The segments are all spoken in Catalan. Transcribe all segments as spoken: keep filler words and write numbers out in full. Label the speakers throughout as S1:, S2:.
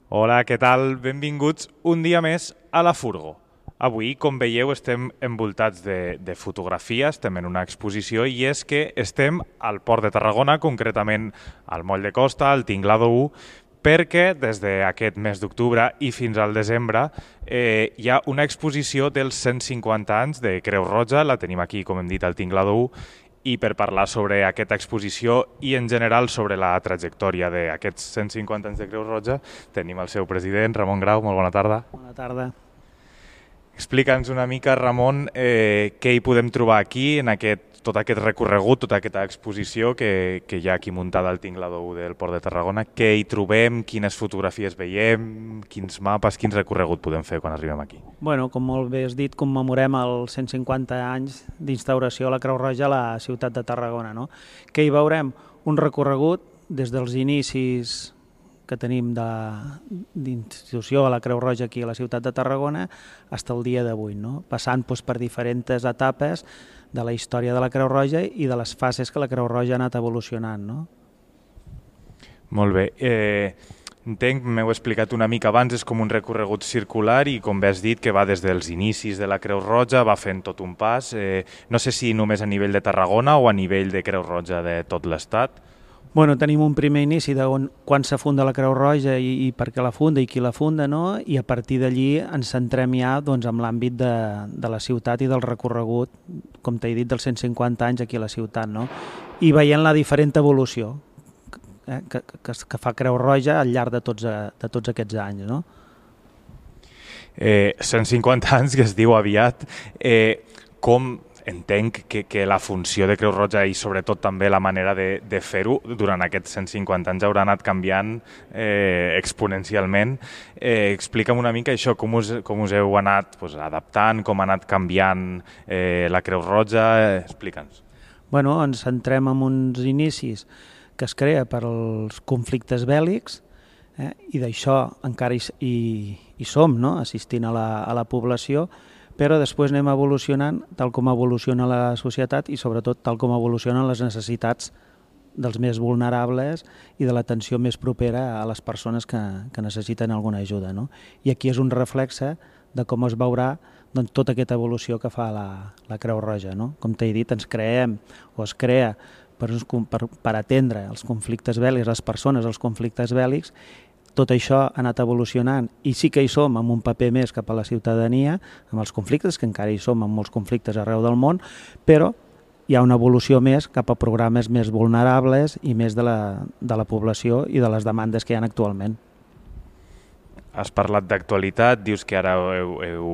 S1: Hola, què tal? Benvinguts un dia més a la Furgo. Avui, com veieu, estem envoltats de, de fotografia, estem en una exposició i és que estem al Port de Tarragona, concretament al Moll de Costa, al Tinglado u, perquè des d'aquest mes d'octubre i fins al desembre eh, hi ha una exposició dels cent cinquanta anys de Creu Roja, la tenim aquí, com hem dit, al Tinglado u, i per parlar sobre aquesta exposició i en general sobre la trajectòria d'aquests cent cinquanta anys de Creu Roja tenim el seu president, Ramon Grau. Molt bona tarda.
S2: Bona tarda.
S1: Explica'ns una mica, Ramon, eh, què hi podem trobar aquí, en aquest, tot aquest recorregut, tota aquesta exposició que, que hi ha aquí muntada al Tinglado u del Port de Tarragona. Què hi trobem, quines fotografies veiem, quins mapes, quins recorregut podem fer quan arribem aquí?
S2: Bueno, com molt bé has dit, commemorem els cent cinquanta anys d'instauració de la Creu Roja a la ciutat de Tarragona. No? Què hi veurem? Un recorregut des dels inicis que tenim d'institució a la Creu Roja aquí a la ciutat de Tarragona fins al dia d'avui, no? Passant doncs, per diferents etapes de la història de la Creu Roja i de les fases que la Creu Roja ha anat evolucionant. No?
S1: Molt bé. Eh, entenc, m'heu explicat una mica abans, és com un recorregut circular i com bé has dit que va des dels inicis de la Creu Roja, va fent tot un pas. Eh, no sé si només a nivell de Tarragona o a nivell de Creu Roja de tot l'Estat.
S2: Bueno, tenim un primer inici de on, quan se funda la Creu Roja i, i per què la funda i qui la funda, no? I a partir d'allí ens centrem ja doncs, en l'àmbit de, de la ciutat i del recorregut, com t'he dit, dels cent cinquanta anys aquí a la ciutat, no? I veient la diferent evolució eh, que, que, que fa Creu Roja al llarg de tots, de tots aquests anys. No?
S1: Eh, cent cinquanta anys, que es diu aviat, eh, com... Entenc que, que la funció de Creu Roja i sobretot també la manera de, de fer-ho durant aquests cent cinquanta anys haurà anat canviant eh, exponencialment. Eh, explica'm una mica això, com us, com us heu anat pues, adaptant, com ha anat canviant eh, la Creu Roja, eh, explica'ns.
S2: Bueno, ens centrem en uns inicis que es crea per als conflictes bèl·lics eh, i d'això encara hi, hi, hi som, no? Assistint a la, a la població, però després anem evolucionant tal com evoluciona la societat i sobretot tal com evolucionen les necessitats dels més vulnerables i de l'atenció més propera a les persones que, que necessiten alguna ajuda. No? I aquí és un reflexe de com es veurà doncs, tota aquesta evolució que fa la, la Creu Roja. No? Com t'he dit, ens creem o es crea per, per, per atendre els conflictes bèl·lics, les persones als conflictes bèl·lics. Tot això ha anat evolucionant i sí que hi som amb un paper més cap a la ciutadania, amb els conflictes, que encara hi som amb molts conflictes arreu del món, però hi ha una evolució més cap a programes més vulnerables i més de la, de la població i de les demandes que hi ha actualment.
S1: Has parlat d'actualitat, dius que ara heu, heu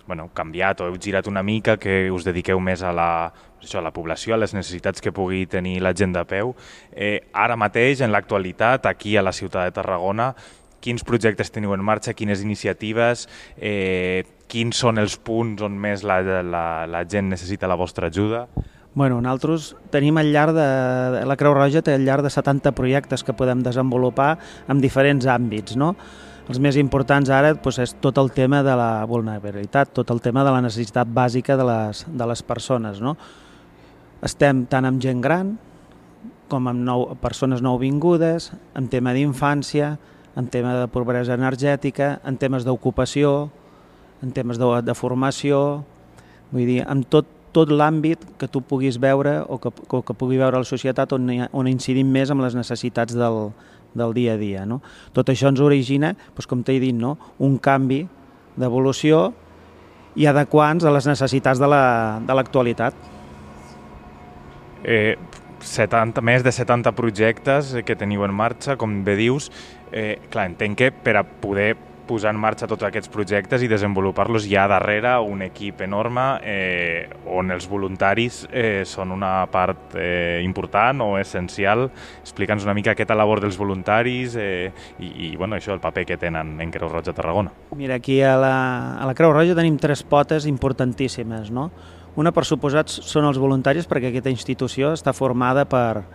S1: bueno, canviat o heu girat una mica, que us dediqueu més a la, això, a la població, a les necessitats que pugui tenir la gent de peu. Eh, ara mateix, en l'actualitat, aquí a la ciutat de Tarragona, quins projectes teniu en marxa, quines iniciatives, eh, quins són els punts on més la, la, la gent necessita la vostra ajuda?
S2: Bueno, nosaltres tenim al llarg de... La Creu Roja té al llarg de setanta projectes que podem desenvolupar en diferents àmbits, no? Els més importants ara doncs, és tot el tema de la vulnerabilitat, tot el tema de la necessitat bàsica de les, de les persones. No? Estem tant amb gent gran com amb nou, persones nouvingudes, en tema d'infància, en tema de pobresa energètica, en temes d'ocupació, en temes de, de formació, vull dir, en tot, tot l'àmbit que tu puguis veure o que, o que pugui veure la societat on, on incidim més amb les necessitats del del dia a dia. No? Tot això ens origina, doncs, com t'he dit, no? un canvi d'evolució i adequar-nos a les necessitats de l'actualitat.
S1: La, eh, setanta, més de setanta projectes que teniu en marxa, com bé dius. Eh, clar, entenc que per a poder posar en marxa tots aquests projectes i desenvolupar-los hi ha darrere un equip enorme eh, on els voluntaris eh, són una part eh, important o essencial. Explica'ns una mica aquesta labor dels voluntaris eh, i, i bueno, això, el paper que tenen en Creu Roja Tarragona.
S2: Mira, aquí a la, a la Creu Roja tenim tres potes importantíssimes. No? Una, per suposat, són els voluntaris, perquè aquesta institució està formada per,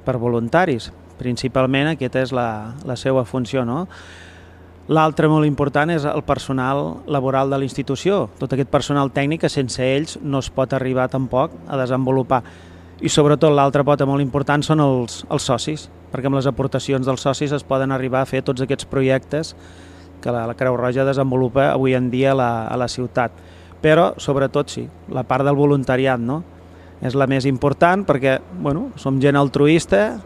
S2: per voluntaris. Principalment aquesta és la, la seva funció, no? L'altre molt important és el personal laboral de la institució, tot aquest personal tècnic que sense ells no es pot arribar tampoc a desenvolupar. I sobretot l'altra pota molt important són els, els socis, perquè amb les aportacions dels socis es poden arribar a fer tots aquests projectes que la, la Creu Roja desenvolupa avui en dia a la, a la ciutat. Però, sobretot, sí, la part del voluntariat, no? És la més important perquè, bueno, som gent altruista,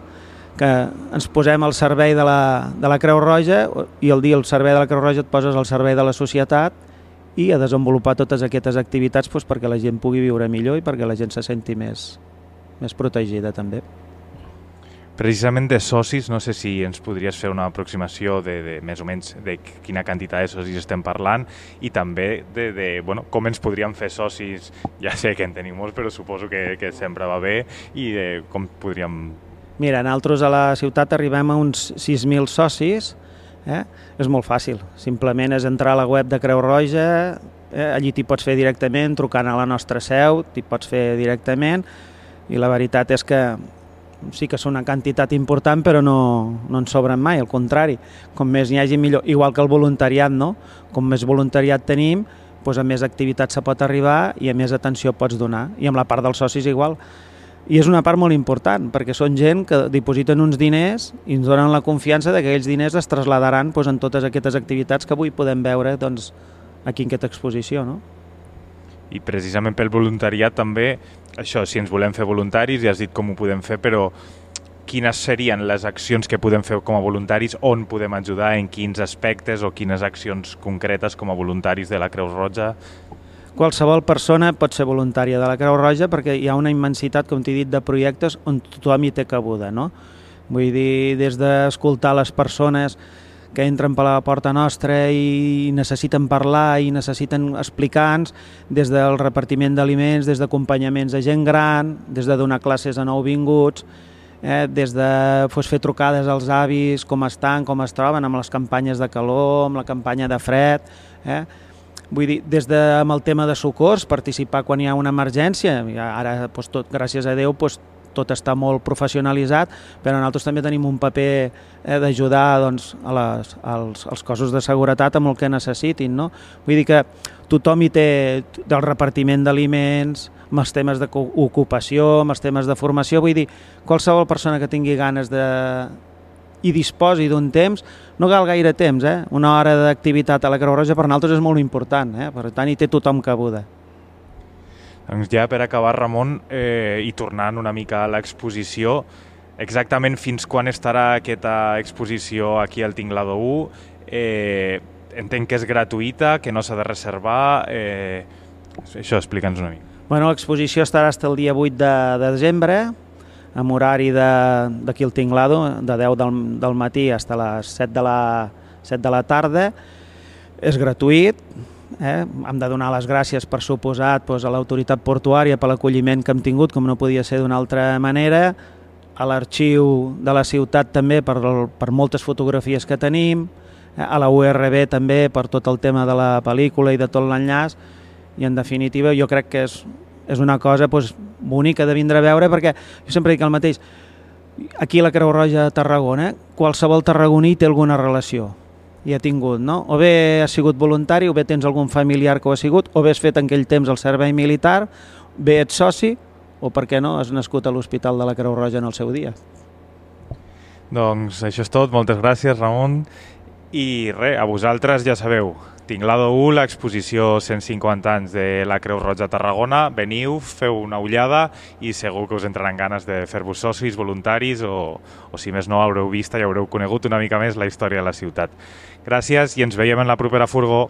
S2: que ens posem al servei de la, de la Creu Roja i el dia al servei de la Creu Roja et poses al servei de la societat i a desenvolupar totes aquestes activitats doncs, perquè la gent pugui viure millor i perquè la gent se senti més, més protegida també.
S1: Precisament de socis, no sé si ens podries fer una aproximació de, de més o menys de quina quantitat de socis estem parlant i també de, de bueno, com ens podríem fer socis, ja sé que en tenim molts, però suposo que, que sempre va bé, i de com podríem...
S2: Mira, nosaltres a la ciutat arribem a uns sis mil socis, eh? És molt fàcil, simplement és entrar a la web de Creu Roja, eh? Allí t'hi pots fer directament, trucant a la nostra seu, t'hi pots fer directament, i la veritat és que sí que és una quantitat important, però no, no en sobren mai, al contrari, com més n'hi hagi millor, igual que el voluntariat, no? Com més voluntariat tenim, doncs a més activitats se pot arribar i a més atenció pots donar, i amb la part dels socis igual. I és una part molt important, perquè són gent que dipositen uns diners i ens donen la confiança que aquells diners es trasladaran doncs, en totes aquestes activitats que avui podem veure doncs, aquí en aquesta exposició. No?
S1: I precisament pel voluntariat també, això, si ens volem fer voluntaris, ja has dit com ho podem fer, però quines serien les accions que podem fer com a voluntaris, on podem ajudar, en quins aspectes o quines accions concretes com a voluntaris de la Creu Roja?
S2: Qualsevol persona pot ser voluntària de la Creu Roja perquè hi ha una immensitat, com t'he dit, de projectes on tothom hi té cabuda. No? Vull dir, des d'escoltar les persones que entren per la porta nostra i necessiten parlar i necessiten explicar-nos, des del repartiment d'aliments, des d'acompanyaments de gent gran, des de donar classes a nouvinguts, eh, des de pues, fer trucades als avis, com estan, com es troben, amb les campanyes de calor, amb la campanya de fred... Eh? Vull dir, des de amb el tema de socors, participar quan hi ha una emergència, ara, doncs, tot, gràcies a Déu, doncs, tot està molt professionalitzat, però nosaltres també tenim un paper eh, d'ajudar doncs, a les, als, als cossos de seguretat amb el que necessitin. No? Vull dir que tothom hi té del repartiment d'aliments, amb els temes d'ocupació, amb els temes de formació, vull dir, qualsevol persona que tingui ganes de... i disposi d'un temps, no cal gaire temps, eh? Una hora d'activitat a la Creu Roja per nosaltres és molt important, eh? Per tant hi té tothom cabuda.
S1: Doncs ja per acabar, Ramon, eh, i tornant una mica a l'exposició, exactament fins quan estarà aquesta exposició aquí al Tinglado u? Eh, entenc que és gratuïta, que no s'ha de reservar, eh, això, explica'ns una mica.
S2: Bueno, l'exposició estarà fins el dia vuit de, de desembre, amb horari d'aquí al Tinglado, de deu del, del matí fins a les set de la, set de la tarda. És gratuït, eh? Hem de donar les gràcies, per suposat, doncs, a l'autoritat portuària per l'acolliment que hem tingut, com no podia ser d'una altra manera, a l'arxiu de la ciutat també per, per moltes fotografies que tenim, eh? A la U R B també per tot el tema de la pel·lícula i de tot l'enllaç, i en definitiva jo crec que és és una cosa doncs, bonica de vindre a veure, perquè jo sempre dic el mateix, aquí a la Creu Roja de Tarragona, qualsevol tarragoní té alguna relació, i ha tingut, no? O bé has sigut voluntari, o bé tens algun familiar que ho ha sigut, o bé has fet en aquell temps el servei militar, bé ets soci, o per què no, has nascut a l'Hospital de la Creu Roja en el seu dia.
S1: Doncs això és tot, moltes gràcies, Ramon, i res, a vosaltres ja sabeu, Tinglado u, l'exposició cent cinquanta anys de la Creu Roja Tarragona. Veniu, feu una ullada i segur que us entraran ganes de fer-vos socis, voluntaris o, o si més no haureu vist i haureu conegut una mica més la història de la ciutat. Gràcies i ens veiem en la propera furgó.